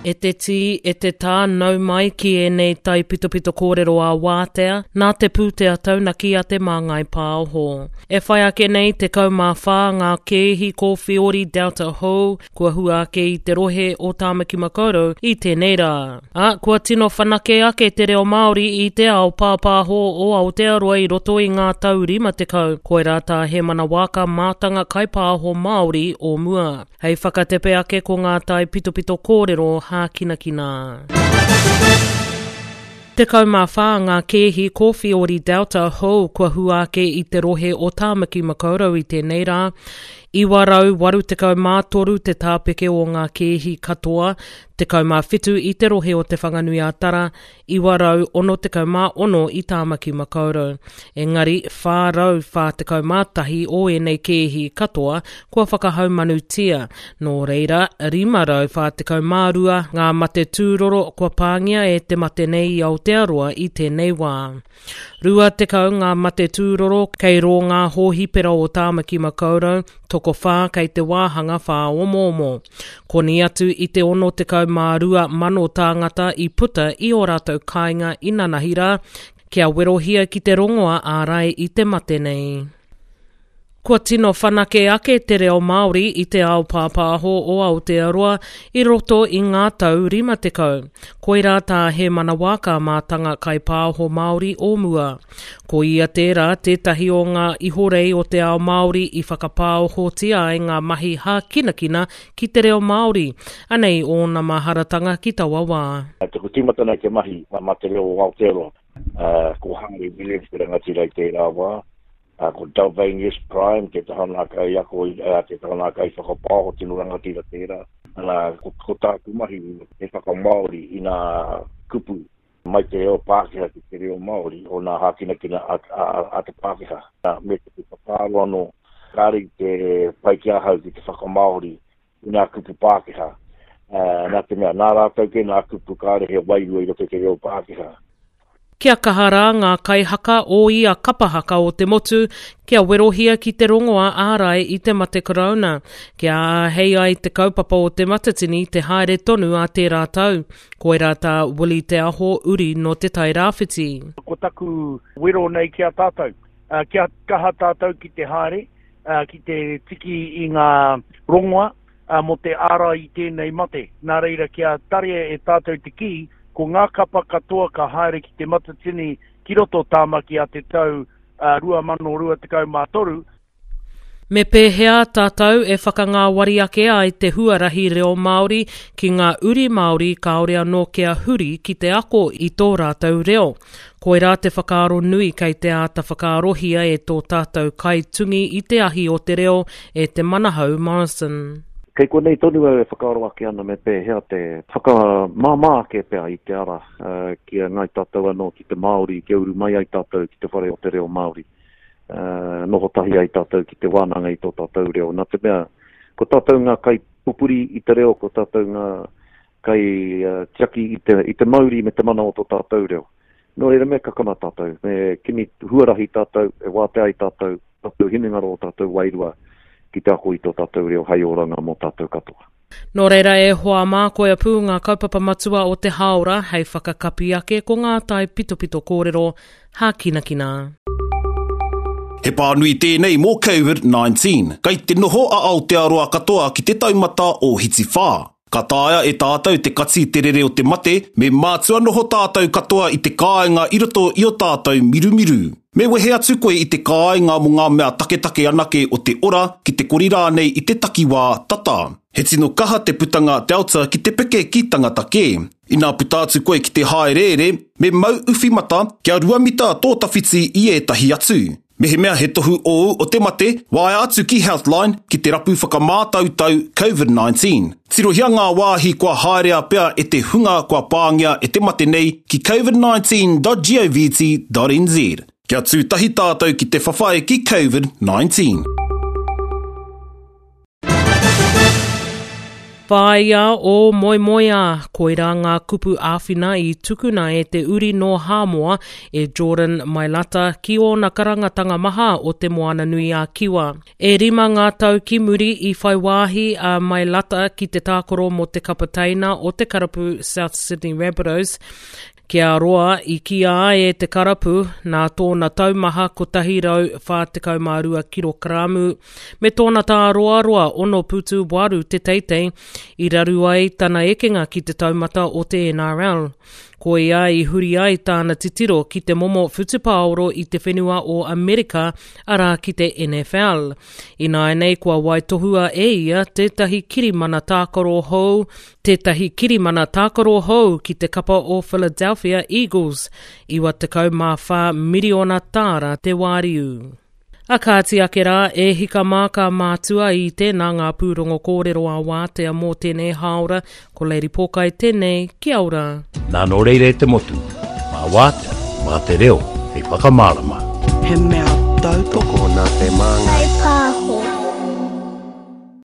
E te tī, e te tā, nau mai ki ēnei taipitopito kōrero ā-wātea, nā te pūtea taunaki a Te Māngai Pāho. E whai ake nei 14 ngā kēhi kōwhiori Delta hou kua hua ake i te rohe o Tāmaki Makaurau i tēnei rā. Ā, kua tino whanake ake te reo Māori i te ao pāpāho o Aotearoa i roto i ngā tau 50, koirā tā Hēmana Waaka mātanga kaipāho Māori o mua. Hei whakatepe ake ko ngā taipitopito kōrero hākinakina. 14 ngā kēhi kōwhiori Delta hou kua hua ake i te rohe o Tāmaki Makaurau i tēnei rā. 983 te tāpeke o ngā kēhi katoa, 17 i te rohe o Te Whanganui-a-Tara, 966 i Tāmaki Makaurau. Engari, 441 o ēnei kēhi katoa kua whakahaumanutia, nō reira, 542 ngā mate tūroro kua pāngia e te mate nei i Aotearoa i tēnei wā. 20 ngā mate tūroro kei rō ngā hōhipera o Tāmaki Makaurau, tokowhā kei te wāhanga whāomoomo. Koni atu i te 62,000 tāngata i puta i ō rātou kāinga inanahi rā, kia werohia ki te rongoa ārai i te mate nei. Kua tino whanake ake te reo Māori i te ao pāpāho o Aotearoa i roto i ngā tau 50. Koirā tā Hēmana Waaka mātanga kaipāho Māori o mua. Ko ia tērā tētahi o ngā ihorei o te ao Māori i whakapāohotia ai ngā mahi hākinakina ki te reo Māori. Anei ōna maharatanga ki taua wā. Taku tīmatanga i te mahi mā te reo o Aotearoa, ko Hāri Williams te rangatira i tērā wā. Ā, ko Dalvanius Prime te taha nā kaiako, ā, te taha nā kaiwhakapaoho tino rangatira tērā. Ana, ko, ko tāku mahi he whakamāori i nā kupu mai te reo Pākehā ki te reo Māori o nā hākinakina a, a, a te Pākehā. Ā, me te whakaaro anō, kāre i te pai ki ahau ki te whakamāori i nā kupu Pākehā. Ā, nā te mea, nā rātou kē nā kupu kāre he wairua i roto i te reo Pākehā. Kia kaha rā ngā kaihaka o ia kapa haka o te motu kia werohia ki te rongoa ārai i te mate korouna, kia āhei ai te kaupapa o Te Matatini te haere tonu ā tērā tau. Koirā tā Willie Te Aho uri nō Te Tai Rāwhiti. Ko taku wero nei ki a tātou, kia kaha tātou ki te haere, ki te tiki i ngā rongoa mō te ārai i tēnei mate. Nā reira, kia tarea e tātou te kī, ko ngā kapa katoa ka haere ki Te Matatini ki roto o Tāmaki a te tau 2023. Me pēhea tātou e whakangāwari ake ai te huarahi reo Māori ki ngā uri Māori kāore anō kia huri ki te ako i tō rātou reo? Koirā te whakaaro nui kei te āta whakaarohia e tō tātou kaitungi i te ahi o te reo, e Te Manahau Morrison. Kei konei tonu au e whakaaro ake ana me pēhea te whakamāmā ake pea i te ara ki a Ngāi Tātou anō, ki te Māori, kia uru mai ai tātou ki te whare o te reo Māori. Noho tahi ai tātou ki te wānanga i tō tātou reo. Nā te mea, ko tātou ngā kaipupuri i te reo, ko tātou ngā kai tiaki i te, i te mauri me te mana o tō tātou reo. Nō reira, me kakama tātou, me kimi huarahi tātou, e wātea ai tātou, tātou hinengaro, tātou wairua ki te ako i tō tātou reo hei oranga mō tātou katoa. Nō reira e hoa mā, koia pū ngā kaupapa matua o te hāora hei whakakapi ake ko ngā taipitopito kōrero hākinakina. He pānui tēnei mō Covid-19. Kei te noho a Aotearoa katoa ki te taumata o Hiti-whā. Ka taea e tātou te kati te rere o te mate, me mātua noho tātou katoa i te kāinga i roto i o tātou mirumiru. Me wehe atu koe i te kāinga mō ngā mea taketake anake o te ora, ki te kori rānei i te takiwā tata. He tino kaha te putanga Delta ki te peke ki tangata kē. Inā puta atu koe ki te hāereere, me mau uwhi mata kia ruamita tō tawhiti i ētahi atu. Mehemea he tohu ōu o te mate, waea atu ki Healthline ki te rapu whakamātautau Covid-19. Tirohia ngā wāhi kua haerea pea e te hunga kua pāngia e te mate nei ki covid19.govt.nz. Kia tū tahi tātou ki te whawhai ki Covid-19. Whāia ō moemoeā, koirā ngā kupu āwhina i tukuna e te uri nō Hāmoa, e Jordan Mailata, ki ōna karangatanga maha o Te Moananui-a-Kiwa. E rima ngā tau ki muri i whai wāhi a Mailata ki te tākaro mō te kapa teina o te karapu South Sydney Rabbitohs, Kia roa i kīa ai e te karapu, nā tōna taumaha 142 kirokaramu me tōna tāroaroa 6 putu 8 te teitei, i raru ai tana ekenga ki te taumata o te NRL. Koia i huri ai tāna titiro ki te momo whutupaoro i te whenua o Amerika, arā ki te NFL. Ināianei kua waitohua e ia tētahi kirimana tākaro hou tētahi kirimana tākaro hou ki te kapa o Philadelphia Eagles, 94 miriona tāra te wāriu. A kāti ake rā, e hika mā ka mātua i tēnā ngā pūrongo kōrero a wātea mō tēnei hāora, ko Lady Pōkai tēnei, kia ora. Nā nō reira e te motu, mā wātea, mā te reo hei whakamārama. He mea tautoko Tokona te māngai.